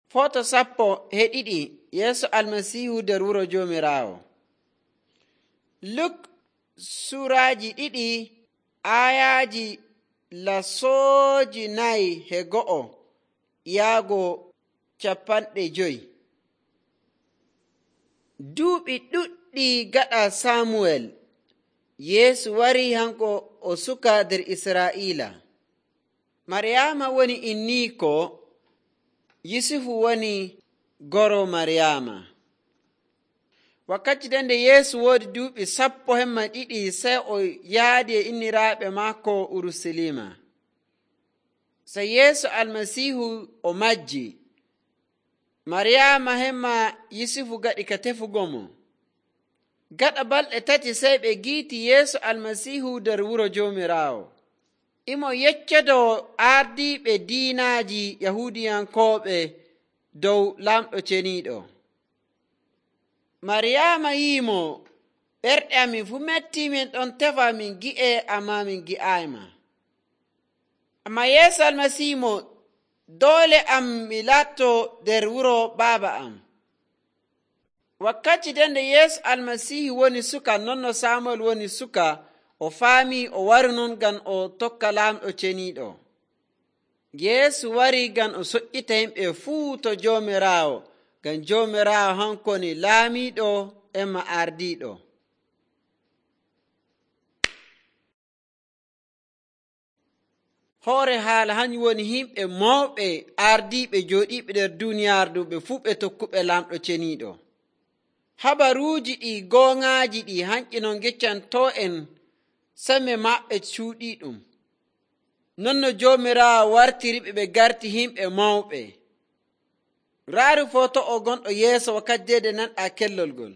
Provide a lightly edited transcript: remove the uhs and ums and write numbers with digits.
Foto 12 Yeesu Almasiihu nder wuro Joomiraawo. Luk suraaji 2 aayaaji 49 yaago 50. Duuɓi ɗuɗɗi gaɗa Samuwel, Yeesu warii hanko o suka nder Israa'iila. Maryaama woni inniiko, Yusufu woni goro Maryaama. Wakkati nde Yeesu woodi duuɓi 12 sey o yaadi e inniraaɓe maako Urusalima. Sey Yeesu Almasiihu o majji. Maryaama hemma Yusufu gaɗi ka tefugo mo. Gaɗa balɗe 3 sey ɓe giiti Yeesu Almasiihu nder wuro Joomiraawo. Imo yeccodo ardiiɓe diinaaji Yahuudiyankooɓe dow laamɗo ceniiɗo. Maryaama yi'imo, ɓerɗe amin fuu metti, min ɗon tefa min gi'e, ammaa min gi'aayma. Ammaa Yeesu Almasiihu mo, doole am mi laatto nder wuro baaba am. Wakkati nde Yeesu Almasiihu woni suka non no Samuel woni suka, o faamii o wari non ngam o tokka laamɗo ceniiɗo. Yeesu wari ngam o soƴƴita yimɓe fuu to Joomiraawo, ngam Joomiraawo hanko woni laamiiɗo emma ardiiɗo. Hoore haala hanyum woni yimɓe mawɓe ardiiɓe jooɗiiɓe nder duuniyaaru ɓe fuu ɓe tokkuɓe laamɗo ceniiɗo. Habaruuji ɗi gooŋaaji ɗi hanƴi non geccantoo en semme maɓɓe cuuɗiiɗum. Non no Joomiraawo wartiriɓe ɓe garti yimɓe mawɓe. Raaru foto o gonɗo yeeso wakkati nde nanɗaa kellol ngol.